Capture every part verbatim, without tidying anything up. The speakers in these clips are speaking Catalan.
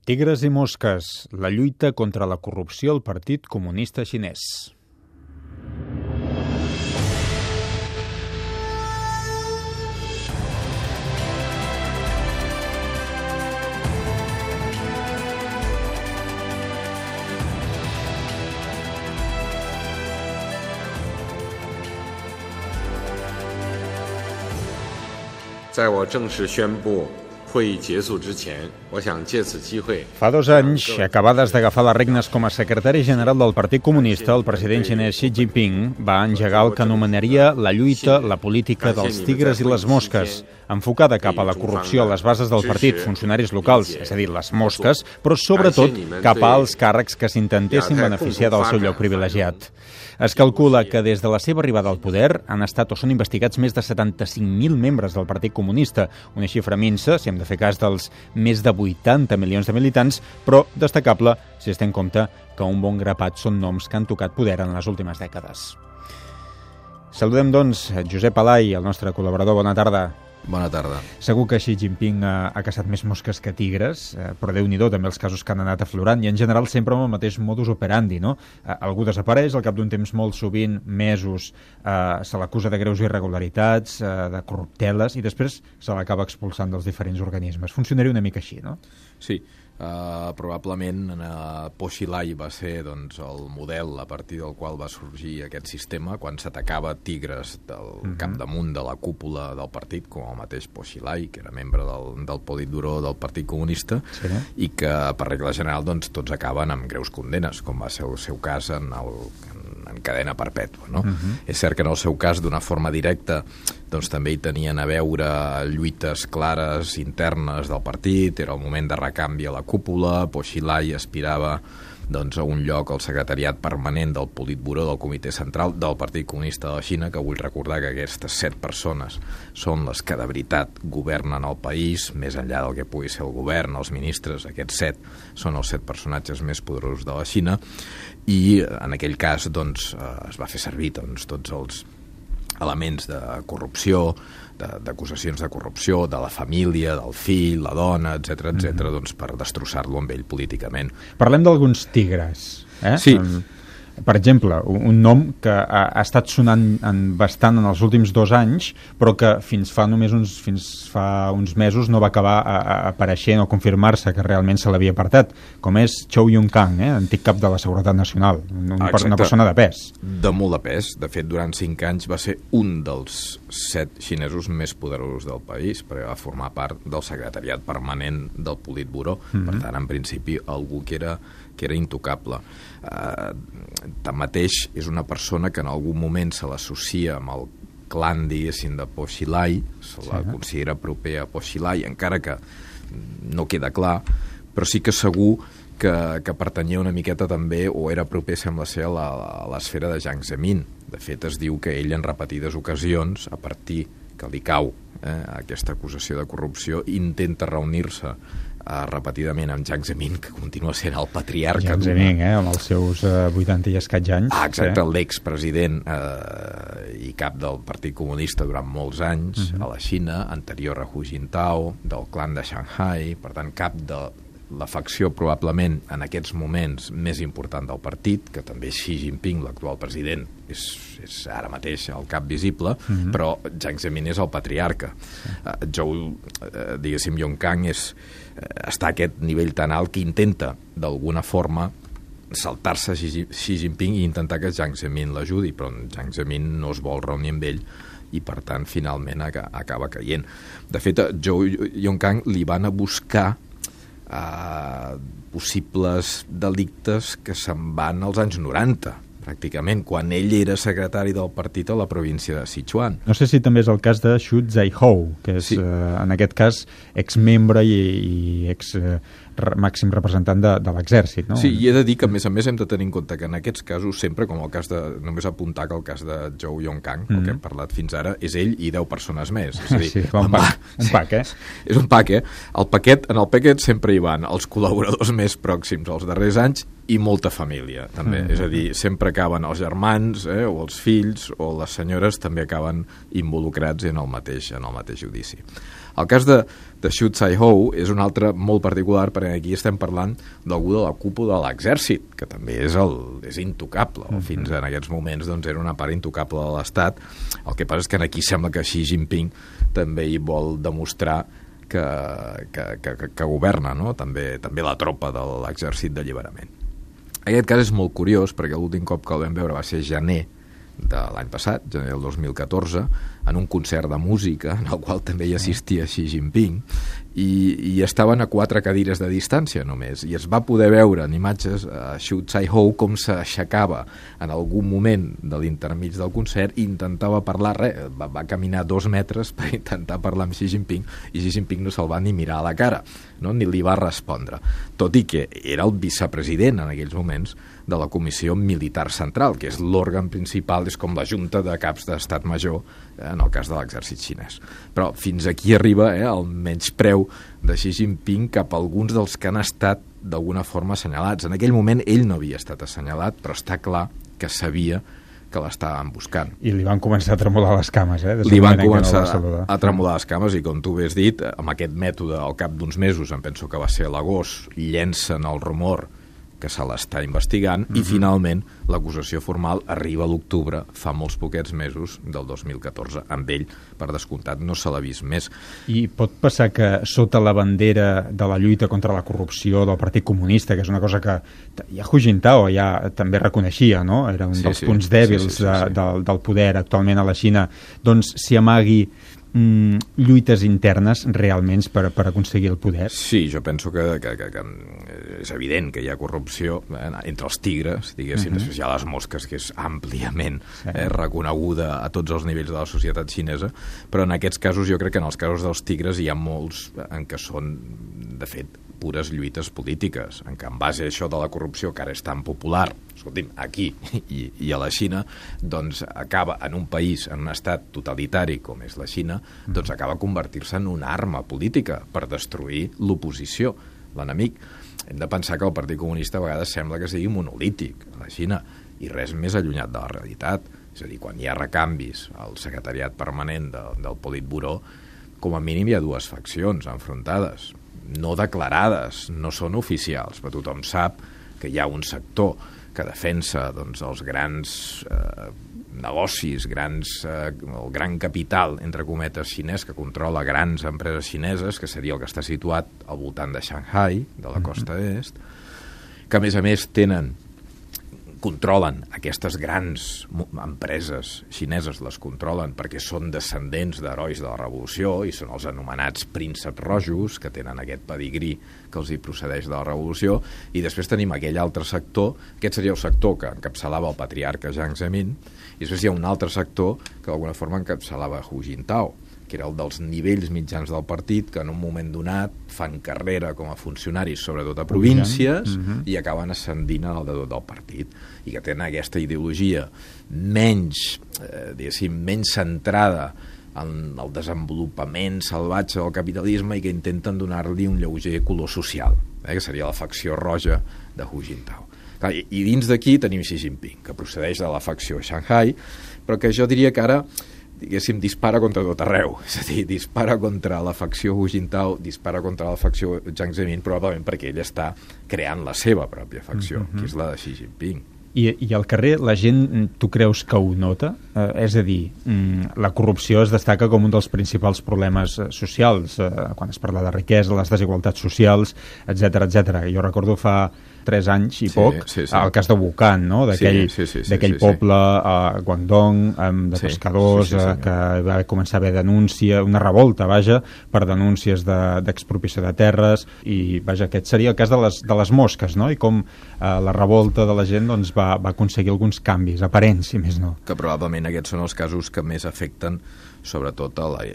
Tigres i mosques, la lluita contra la corrupció al Partit Comunista Xinès. Fa dos anys, acabades d'agafar les regnes com a secretari general del Partit Comunista, el president xinès Xi Jinping va engegar el que anomenaria la lluita, la política dels tigres i les mosques, enfocada cap a la corrupció a les bases del partit, funcionaris locals, és a dir, les mosques, però sobretot cap als càrrecs que s'intentessin beneficiar del seu lloc privilegiat. Es calcula que des de la seva arribada al poder han estat o són investigats més de setanta-cinc mil membres del Partit Comunista, una xifra minsa, si hem de fer cas dels més de vuitanta milions de militants, però destacable si es té en compte que un bon grapat són noms que han tocat poder en les últimes dècades. Saludem, doncs, Josep Alay, el nostre col·laborador. Bona tarda. Bona tarda. Segur que Xi Jinping ha, ha caçat més mosques que tigres, eh, però Déu-n'hi-do també els casos que han anat aflorant, i en general sempre amb el mateix modus operandi, no? Eh, algú desapareix, al cap d'un temps molt sovint, mesos, eh, se l'acusa de greus irregularitats, eh, de corrupteles, i després se l'acaba expulsant dels diferents organismes. Funcionaria una mica així, no? Sí. Uh, probablement uh, Po Xilai va ser doncs, el model a partir del qual va sorgir aquest sistema quan s'atacava tigres del mm-hmm. capdamunt de la cúpula del partit, com el mateix Po Xilai, que era membre del, del Politburó del Partit Comunista, sí. I que per regla general doncs, tots acaben amb greus condenes, com va ser el seu cas en el en cadena perpètua, no? Uh-huh. És cert que en el seu cas, d'una forma directa, doncs també hi tenien a veure lluites clares internes del partit, era el moment de recanvi a la cúpula, Po Xilai aspirava doncs, a un lloc al secretariat permanent del Politburó del Comitè Central del Partit Comunista de la Xina, que vull recordar que aquestes set persones són les que de veritat governen el país, més enllà del que pugui ser el govern, els ministres, aquests set són els set personatges més poderosos de la Xina, i en aquell cas doncs, es va fer servir doncs, tots els elements de corrupció, d'acusacions de, de corrupció, de la família, del fill, la dona, etcètera, etcètera, doncs per destrossar-lo amb ell políticament. Parlem d'alguns tigres, eh? Sí. Um... Per exemple, un nom que ha, ha estat sonant en, bastant en els últims dos anys, però que fins fa només uns, fins fa uns mesos no va acabar a, a apareixent o confirmar-se que realment se l'havia apartat, com és Zhou Yongkang, eh, antic cap de la Seguretat Nacional, un, una persona de pes. De molt de pes. De fet, durant cinc anys va ser un dels set xinesos més poderosos del país, perquè va formar part del secretariat permanent del Politburó. Mm-hmm. Per tant, en principi, algú que era que era intocable. Uh, tanmateix, és una persona que en algun moment se l'associa amb el clan, diguéssim, de Po Xilai, se la sí. considera proper a Po Xilai, encara que no queda clar, però sí que segur que, que pertanyia una miqueta també, o era proper, sembla ser, a, la, a l'esfera de Jiang Zemin. De fet, es diu que ell en repetides ocasions, a partir que li cau eh, aquesta acusació de corrupció, intenta reunir-se Uh, repetidament amb Jiang Zemin, que continua sent el patriarca. Jiang Zemin, eh, amb els seus uh, vuitanta i escaig anys. Ah, exacte, sí. L'expresident uh, i cap del Partit Comunista durant molts anys uh-huh. a la Xina, anterior a Hu Jintao, del clan de Shanghai, per tant, cap de la facció probablement en aquests moments més important del partit, que també Xi Jinping, l'actual president, és, és ara mateix el cap visible, uh-huh. però Jiang Zemin és el patriarca. Uh, Zhou, uh, diguéssim, Yongkang és, uh, està a aquest nivell tan alt que intenta, d'alguna forma, saltar-se Xi, Xi Jinping i intentar que Jiang Zemin l'ajudi, però Jiang Zemin no es vol reunir amb ell i, per tant, finalment acaba caient. De fet, a Zhou Yongkang li van a buscar Uh, possibles delictes que se'n van als anys noranta, pràcticament, quan ell era secretari del partit a la província de Sichuan. No sé si també és el cas de Xu Zaihou, que és, sí. uh, en aquest cas, exmembre i, i ex uh, màxim representant de, de l'exèrcit, no? Sí, i he de dir que, a més a més, hem de tenir en compte que en aquests casos, sempre, com el cas de... Només apuntar que el cas de Zhou Yongkang, mm-hmm. el que hem parlat fins ara, és ell i deu persones més. És a dir, sí, un pack, un pack, eh? És un pack, eh? El paquet, en el paquet sempre hi van els col·laboradors més pròxims als darrers anys i molta família, també. Mm-hmm. És a dir, sempre acaben els germans, eh, o els fills, o les senyores també acaben involucrats en el mateix, en el mateix judici. El cas de, de Xu Caihou és un altre molt particular, perquè aquí estem parlant d'algú de la cúpula de l'exèrcit, que també és, el, és intocable. Mm-hmm. Fins en aquests moments doncs, era una part intocable de l'Estat. El que passa és que aquí sembla que Xi Jinping també hi vol demostrar que, que, que, que governa, no? també, també la tropa de l'exèrcit d'alliberament. Aquest cas és molt curiós perquè l'últim cop que el vam veure va ser gener de l'any passat, gener del dos mil catorze, en un concert de música en el qual també hi assistia Xi Jinping i, i estaven a quatre cadires de distància només, i es va poder veure en imatges a Xu Caihou com s'aixecava en algun moment de l'intermig del concert i intentava parlar, res, va, va caminar dos metres per intentar parlar amb Xi Jinping i Xi Jinping no se'l va ni mirar a la cara, no? Ni li va respondre, tot i que era el vicepresident en aquells moments de la Comissió Militar Central, que és l'òrgan principal, és com la junta de caps d'estat major eh, en el cas de l'exèrcit xinès. Però fins aquí arriba eh, el menyspreu de Xi Jinping cap a alguns dels que han estat d'alguna forma assenyalats. En aquell moment ell no havia estat assenyalat, però està clar que sabia que l'estaven buscant. I li van començar a tremolar les cames, eh? Li van començar no a tremolar les cames i, com tu bé has dit, amb aquest mètode, al cap d'uns mesos, em penso que va ser a l'agost, llencen el rumor que se l'està investigant, mm-hmm. i finalment l'acusació formal arriba a l'octubre, fa molts poquets mesos, del dos mil catorze. Amb ell, per descomptat, no se l'ha vist més. I pot passar que sota la bandera de la lluita contra la corrupció del Partit Comunista, que és una cosa que ja Hu Jintao ja també reconeixia, no? Era un sí, dels sí, punts dèbils sí, sí, sí, de, sí. Del, del poder actualment a la Xina, doncs s'hi amagui Mm, lluites internes realment per, per aconseguir el poder? Sí, jo penso que, que, que, que és evident que hi ha corrupció eh, entre els tigres, diguéssim, uh-huh. després hi ha les mosques, que és àmpliament sí. eh, reconeguda a tots els nivells de la societat xinesa, però en aquests casos jo crec que en els casos dels tigres hi ha molts en què són, de fet, pures lluites polítiques, en què en base a això de la corrupció, que ara és tan popular, escolti'm, aquí i, i a la Xina, doncs acaba en un país, en un estat totalitari com és la Xina, doncs acaba convertir-se en una arma política per destruir l'oposició, l'enemic. Hem de pensar que el Partit Comunista a vegades sembla que sigui monolític a la Xina i res més allunyat de la realitat. És a dir, quan hi ha recanvis al secretariat permanent de, del Politburó, com a mínim hi ha dues faccions enfrontades, no declarades, no són oficials, però tothom sap que hi ha un sector que defensa doncs, els grans eh, negocis, grans, eh, el gran capital, entre cometes, xinès, que controla grans empreses xineses, que seria el que està situat al voltant de Shanghai, de la costa est, que a més a més tenen controlen aquestes grans empreses xineses, les controlen perquè són descendents d'herois de la revolució i són els anomenats prínceps rojos, que tenen aquest pedigrí que els hi procedeix de la revolució, i després tenim aquell altre sector, aquest seria el sector que encapçalava el patriarca Jiang Zemin, i després hi ha un altre sector que d'alguna forma encapçalava Hu Jintao, que era el dels nivells mitjans del partit, que en un moment donat fan carrera com a funcionaris, sobretot a províncies, uh-huh. i acaben ascendint al de tot del partit, i que tenen aquesta ideologia menys, eh, diguéssim, menys centrada en el desenvolupament salvatge del capitalisme i que intenten donar-li un lleuger color social, eh, que seria la facció roja de Hu Jintao. Clar, i, I dins d'aquí tenim Xi Jinping, que procedeix de la facció Shanghai, però que jo diria que ara diguéssim, dispara contra tot arreu. És a dir, dispara contra la facció Hu Jintao, dispara contra la facció Jiang Zemin, probablement perquè ell està creant la seva pròpia facció, mm-hmm. que és la de Xi Jinping. I, I al carrer la gent, tu creus que ho nota? Eh, és a dir, la corrupció es destaca com un dels principals problemes socials, eh, quan es parla de riquesa, les desigualtats socials, etcètera, etcètera. Jo recordo fa tres anys i sí, poc, sí, sí. el cas de Wuhan, no? d'aquell sí, sí, sí, sí, d'aquell sí, sí. poble a Guangdong, de sí, pescadors, sí, sí, sí, sí. que va començar a haver denúncia, una revolta, vaja, per denúncies d'expropiació de, de terres, i vaja, aquest seria el cas de les, de les mosques, no? I com eh, la revolta de la gent doncs, va, va aconseguir alguns canvis, aparents, si més no. Que probablement aquests són els casos que més afecten sobretot a la eh,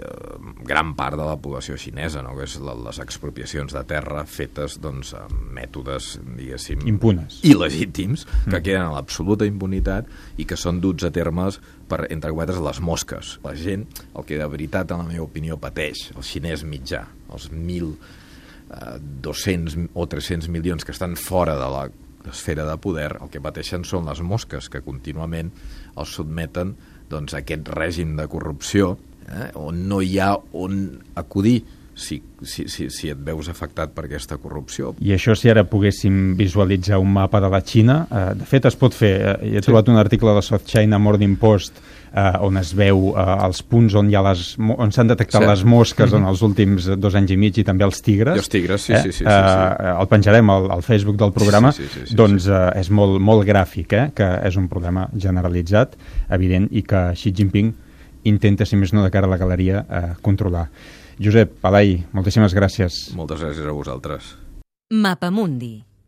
gran part de la població xinesa, no? Que és la, les expropiacions de terra fetes doncs, amb mètodes, diguéssim, impunes, il·legítims, que mm. queden a l'absoluta impunitat i que són duts a termes per, entre cometes, les mosques. La gent, el que de veritat, en la meva opinió, pateix, el xinès mitjà, els mil dos-cents o tres-cents milions que estan fora de la esfera de poder, el que pateixen són les mosques, que contínuament els sotmeten doncs, aquest règim de corrupció eh, on no hi ha on acudir si, si, si, si et veus afectat per aquesta corrupció. I això, si ara poguéssim visualitzar un mapa de la Xina, eh, de fet es pot fer. Eh, he trobat sí. un article de South China Morning Post eh, on es veu eh, els punts on hi ha les, on s'han detectat sí. les mosques mm-hmm. en els últims dos anys i mig, i també els tigres. I els tigres, sí, eh? sí, sí, sí, sí. Eh, el penjarem al, al Facebook del programa. Sí, sí, sí, sí, doncs sí. Eh, és molt, molt gràfic, eh? Que és un problema generalitzat, evident, i que Xi Jinping intenta, si més no de cara a la galeria, eh, controlar. Josep, Pelai, moltíssimes gràcies. Moltes gràcies a vosaltres. Mapamundi.